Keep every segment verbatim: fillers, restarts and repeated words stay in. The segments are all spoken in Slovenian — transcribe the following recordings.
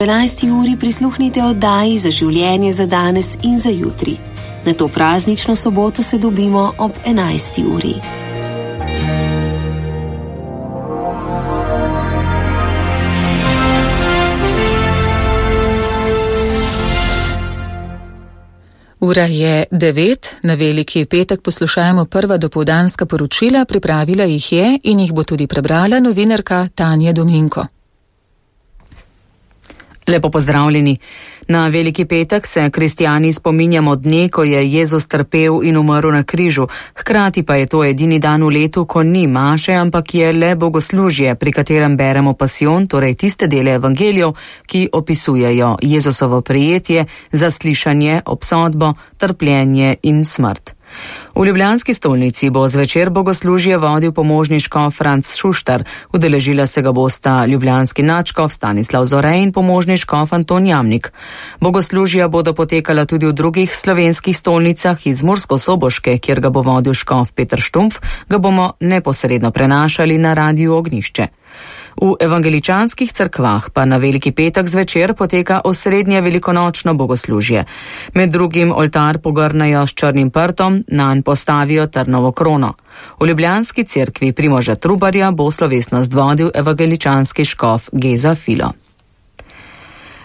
enajsti uri prisluhnite oddaji Za življenje za danes in za jutri. Na to praznično soboto se dobimo ob enajsti uri. Ura je devet, na veliki petek poslušajmo prva dopoldanska poročila, pripravila jih je in jih bo tudi prebrala novinarka Tanja Dominko. Lepo pozdravljeni. Na veliki petek se kristijani spominjamo dne, ko je Jezus trpel in umrl na križu. Hkrati pa je to edini dan v letu, ko ni maše, ampak je le bogoslužje, pri katerem beremo pasijon, torej tiste dele evangelijev, ki opisujejo Jezusovo prijetje, zaslišanje, obsodbo, trpljenje in smrt. V ljubljanski stolnici bo zvečer bogoslužje vodil pomožni škof Franc Šuštar. Udeležila se ga bosta ljubljanski nadškof Stanislav Zore in pomožni škof Anton Jamnik. Bogoslužja bodo potekala tudi v drugih slovenskih stolnicah. Iz Mursko-Soboške, kjer ga bo vodil škof Peter Štumpf, ga bomo neposredno prenašali na Radiu Ognjišče. V evangeličanskih cerkvah pa na veliki petek zvečer poteka osrednje velikonočno bogoslužje. Med drugim oltar pogrnajo s črnim prtom, nanj postavijo trnovo krono. V ljubljanski cerkvi Primoža Trubarja bo slovesnost vodil evangeličanski škof Geza Filo.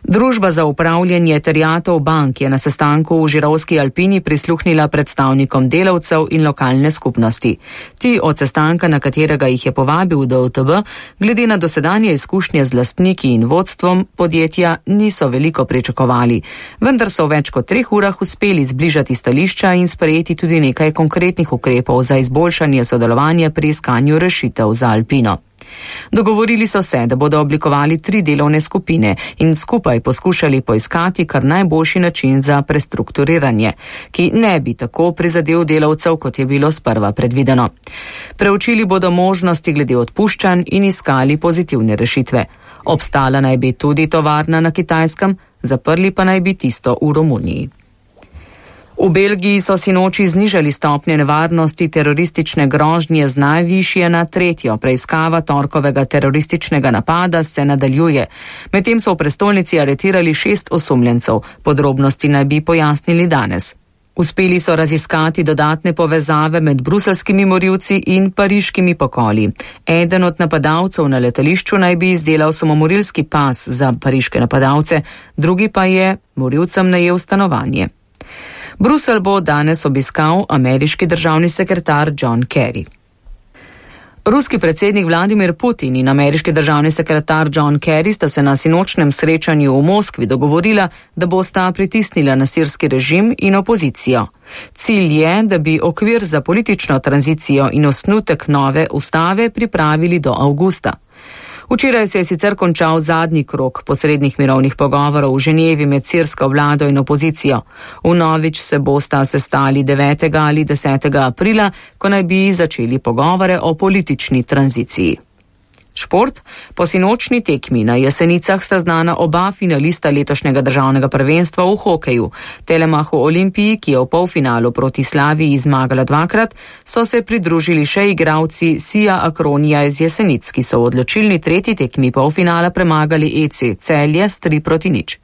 Družba za upravljanje terjatev bank je na sestanku v Žirovski Alpini prisluhnila predstavnikom delavcev in lokalne skupnosti. Ti od sestanka, na katerega jih je povabil D U T B, glede na dosedanje izkušnje z lastniki in vodstvom podjetja niso veliko pričakovali, vendar so v več kot treh urah uspeli zbližati stališča in sprejeti tudi nekaj konkretnih ukrepov za izboljšanje sodelovanja pri iskanju rešitev za Alpino. Dogovorili so se, da bodo oblikovali tri delovne skupine in skupaj poskušali poiskati kar najboljši način za prestrukturiranje, ki ne bi tako prizadel delavcev, kot je bilo sprva predvideno. Preučili bodo možnosti glede odpuščanj in iskali pozitivne rešitve. Obstala naj bi tudi tovarna na Kitajskem, zaprli pa naj bi tisto v Romuniji. V Belgiji so sinoči znižali stopnje nevarnosti teroristične grožnje z najvišje na tretjo. Preiskava torkovega terorističnega napada se nadaljuje. Medtem so v prestolnici aretirali šest osumljencev. Podrobnosti naj bi pojasnili danes. Uspeli so raziskati dodatne povezave med bruselskimi morilci in pariškimi pokoli. Eden od napadalcev na letališču naj bi izdelal samomorilski pas za pariške napadalce, drugi pa je morilcem najel stanovanje. Bruselj bo danes obiskal ameriški državni sekretar John Kerry. Ruski predsednik Vladimir Putin in ameriški državni sekretar John Kerry sta se na sinočnem srečanju v Moskvi dogovorila, da bosta pritisnila na sirski režim in opozicijo. Cilj je, da bi okvir za politično tranzicijo in osnutek nove ustave pripravili do avgusta. Včeraj se je sicer končal zadnji krog posrednih mirovnih pogovorov v Ženevi med sirsko vlado in opozicijo. Vnovič se bosta sestali devetega ali desetega aprila, ko naj bi začeli pogovore o politični tranziciji. Šport. Po sinočni tekmi na Jesenicah sta znana oba finalista letošnjega državnega prvenstva v hokeju. Telemachu Olimpiji, ki je v polfinalu proti Slaviji zmagala dvakrat, so se pridružili še igralci Sija Akronija iz Jesenic, ki so v odločilni tretji tekmi polfinala premagali E C Celje s tri proti nič.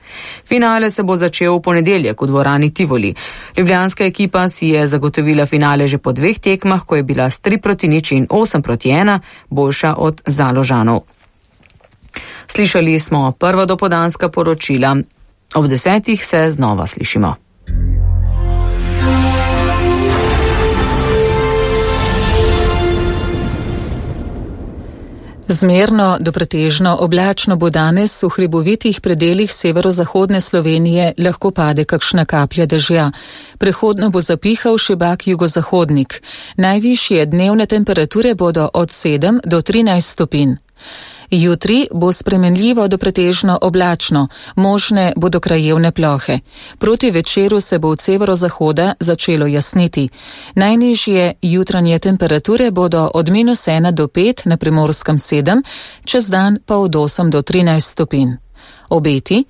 Finale se bo začel v ponedeljek v dvorani Tivoli. Ljubljanska ekipa si je zagotovila finale že po dveh tekmah, ko je bila s tri proti nič in osem proti ena boljša od Založanov. Slišali smo prva dopoldanska poročila. Ob desetih se znova slišimo. Zmerno do pretežno oblačno bo danes, v hribovitih predelih severozahodne Slovenije lahko pade kakšna kaplja dežja. Prehodno bo zapihal šibak jugozahodnik. Najvišje dnevne temperature bodo od sedem do trinajst stopinj. Jutri bo spremenljivo do pretežno oblačno, možne bodo krajevne plohe. Proti večeru se bo od severozahoda začelo jasniti. Najnižje jutranje temperature bodo od minus ena do pet, na Primorskem sedem, čez dan pa od osem do trinajst stopinj. Obeti.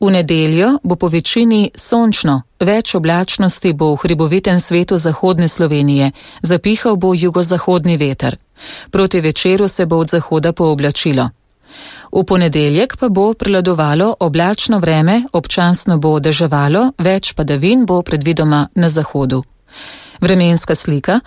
V nedeljo bo po večini sončno, več oblačnosti bo v hribovitem svetu zahodne Slovenije, zapihal bo jugozahodni veter. Proti večeru se bo od zahoda pooblačilo. V ponedeljek pa bo prevladovalo oblačno vreme, občasno bo deževalo, več padavin bo predvidoma na zahodu. Vremenska slika.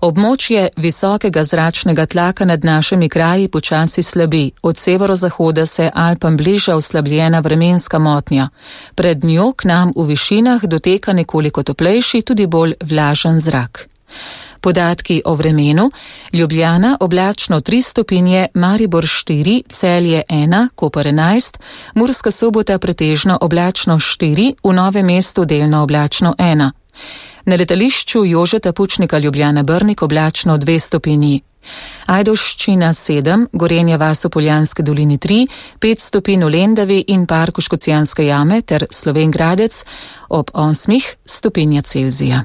Območje visokega zračnega tlaka nad našimi kraji počasi slabi. Od severozahoda se Alpam bliža oslabljena vremenska motnja. Pred njo k nam v višinah doteka nekoliko toplejši, tudi bolj vlažen zrak. Podatki o vremenu. Ljubljana oblačno tri stopinje, Maribor štiri, Celje ena, Koper enajst, Murska Sobota pretežno oblačno štiri, v Novem mestu delno oblačno ena. Na letališču Jožeta Pučnika Ljubljana Brnik oblačno dve stopinji. Ajdovščina sedem, Gorenja vas v Poljanski dolini tri, pet stopinj v Lendavi in Parku Škocjanske jame ter Slovenj Gradec ob osmih stopinja Celzija.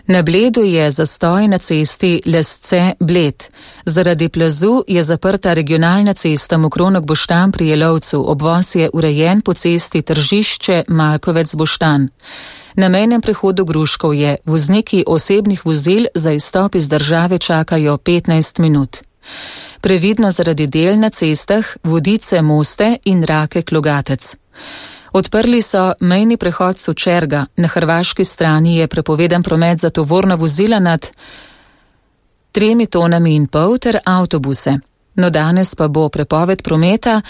Na Bledu je zastoj na cesti Lesce-Bled. Zaradi plazu je zaprta regionalna cesta Mokronog-Boštan pri Jelovcu, obvoz je urejen po cesti Tržišče-Malkovec-Boštan. Na mejnem prehodu Gruškov je vozniki osebnih vozil za izstop iz države čakajo petnajst minut. Previdno zaradi del na cestah Vodice-Moste in Rake-Klogatec. Odprli so mejni prehod Sočerga. Na hrvaški strani je prepovedan promet za tovorna vozila nad tremi tonami in pol ter avtobuse. No danes pa bo prepoved prometa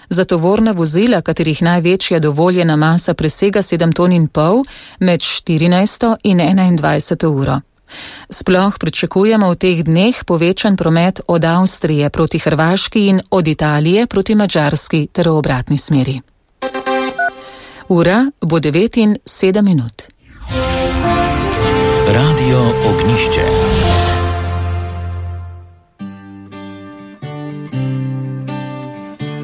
za tovorna vozila, katerih največja dovoljena masa presega sedem ton in pol, med štirinajsto in enaindvajseto uro. Sploh pričakujemo v teh dneh povečan promet od Avstrije proti Hrvaški in od Italije proti Madžarski ter v obratni smeri. Ura bo devet in sedem minut. Radio Ognjišče.